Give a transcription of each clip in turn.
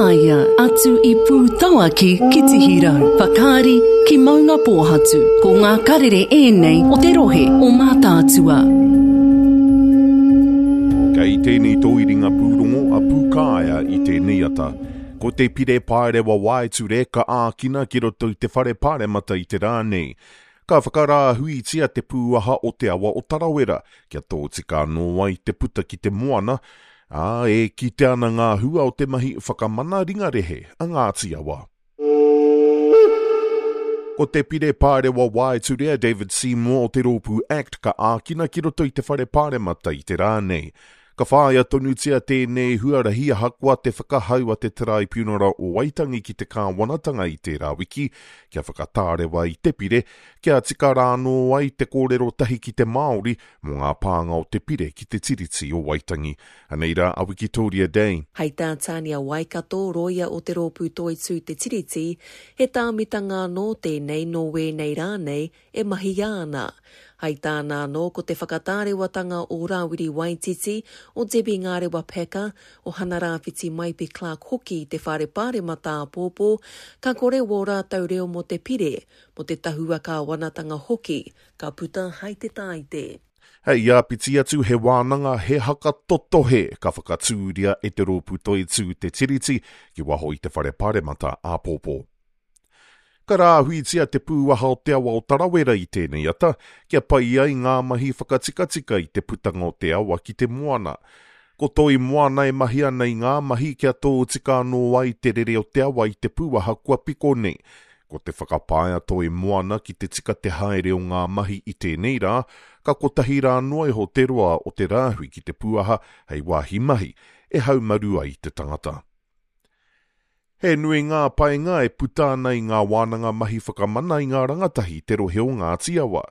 Pūkāea, atu i Pūtauaki ki Tihirau, Whakaari ki Maungapōhatu. Ko ngā karere ēnei o te rohe o Mātaatua. Kei tēnei tōiringa pūrongo a Pūkāea i tēnei ata. Ko te pire paerewa waeture ka ākina ki roto i te whare paremata i te rā nei. Ka whakarāhuitia te pūaha o te awa o Tarawera kia tōtika anō ai te puta ki te moana, ā, e kitea ana ngā hua o te mahi whakamana ringarehe a Ngāti Awa. Ko te pire paerewa waeture a David Seymour o te rōpū act ka ākina ki roto i te whare paremata i te rā nei. Ka whāia tonutia tēnei huarahi ahakoa te whakahau a te Taraipiunara o Waitangi ki te kāwanatanga i tērā wiki kia whakatārewa i te pire, kia tika rānō ai te kōrero tahi ki te Māori mō ngā pānga o te pire ki te Tiriti o Waitangi. Anei rā a Wikitoria Day. Hei tā Tania Waikato, rōia o te rōpū Toitū Te Tiriti, he tāmitanga anō tēnei nō wēnei rā nei e mahia ana. Hai tāna anō ko te whakatārewatanga o Rāwiri Waititi, o Debbie Ngārewa Packer, o Hana Rāwhiti Maipi Clarke hoki i te Whare Pāremata āpōpō, ka kore wō rātou reo mō te pire, mō te tahua kāwanatanga hoki, ka puta hai te Tāite. Hei āpiti atu, he wānanga, he haka totohe ka whakatūria e te Rōpū Toitū Te Tiriti ki waho i te Whare Pāremata āpōpō. Ka rāhuitia te pūaha o te awa o Tarawera i tēnei ata, kia pai ai ngā mahi whakatikatika i te putanga o te awa ki te moana. Ko Toi Moana e mahi ana i ngā mahi kia tōtika anō ai te rere o te awa i te pūaha kua piko nei. Ko te whakapae a Toi Moana ki te tika te haere o ngā mahi i tēnei rā, ka kotahi rā noa iho te roa o te rāhui ki te pūaha hei wāhi mahi e haumaru ai te tangata. He nui ngā painga e puta ana i ngā wānanga mahi whakamana i ngā rangatahi i te rohe o Ngāti Awa.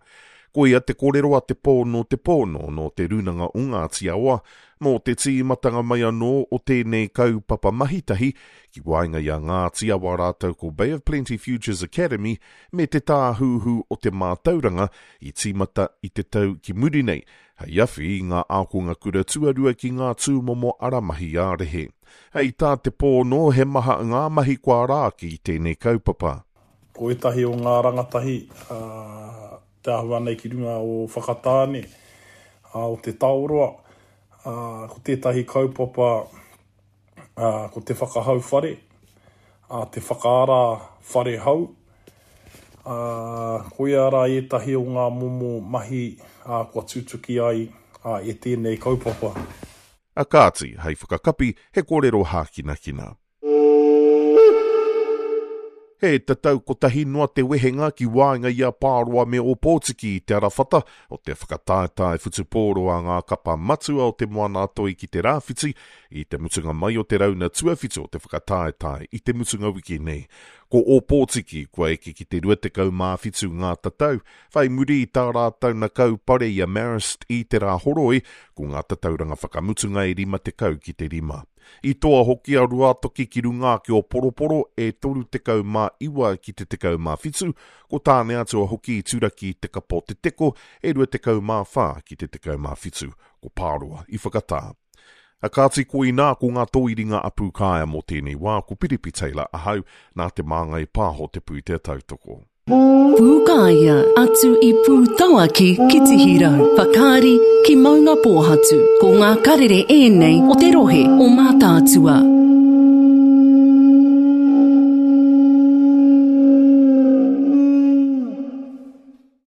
Koia te kōrero a Te Pōno Te Pōno nō Te Rūnanga o Ngāti Awa, mō te tīmatanga mai anō o tēnei kaupapa mahitahi ki waenga i a Ngāti Awa rātou ko Bay of Plenty Futures Academy me Te Tāhuhu o te Mātauranga i tīmata i te tau ki muri nei hei awhi i ngā ākonga kura tuarua ki ngā tūmomo ara mahi ā-rehe. Hei tā Te Pōno, he maha ngā mahi kua ara ake i tēnei kaupapa. Ko ētahi o ngā rangatahi te āhua nei ki runga o Whakatāne, o Te Taoroa, ko tētahi kaupapa ko te whakahau whare, te whakaara whare hou, koia rā ētahi o ngā momo mahi kua tutuki ai e tēnei kaupapa. A kāti, hei whakakapi, he kōrero hākinakina. He tatau kotahi noa te wehenga ki waenga i a Pāroa me Ōpōtiki i te arawhata o te whakataetae whutupōro a ngā kapa matua o Te Moana-a-Toi ki te Rāwhiti i te mutunga mai o te rauna tuawhitu o te whakataetae i te mutunga wiki nei. Ko Ōpōtiki kua eke ki te 27 ngā tatau, Whai muri i tā rātou na kaupare i a Marist i te Rāhoroi, ko ngā tatauranga whakamutunga e 50 ki te rima. I toa hoki a Ruatoki ki runga ake o Poroporo e 39 ki te 17, ko Tāneatua hoki i turaki i te kapa o Te Teko e 24 ki te 17, ko Pāroa i whakatā. A kāti koinā ko ngā tōiringa a Pūkāea mō tēnei wā, ko Piripi Taylor ahau, nā Te Māngai Pāho te pūtea tautoko. Pūkāea, atu i Pūtauaki ki Tihirau, Whakaari ki Maungapōhatu. Ko ngā karere ēnei o te rohe o Mātaatua.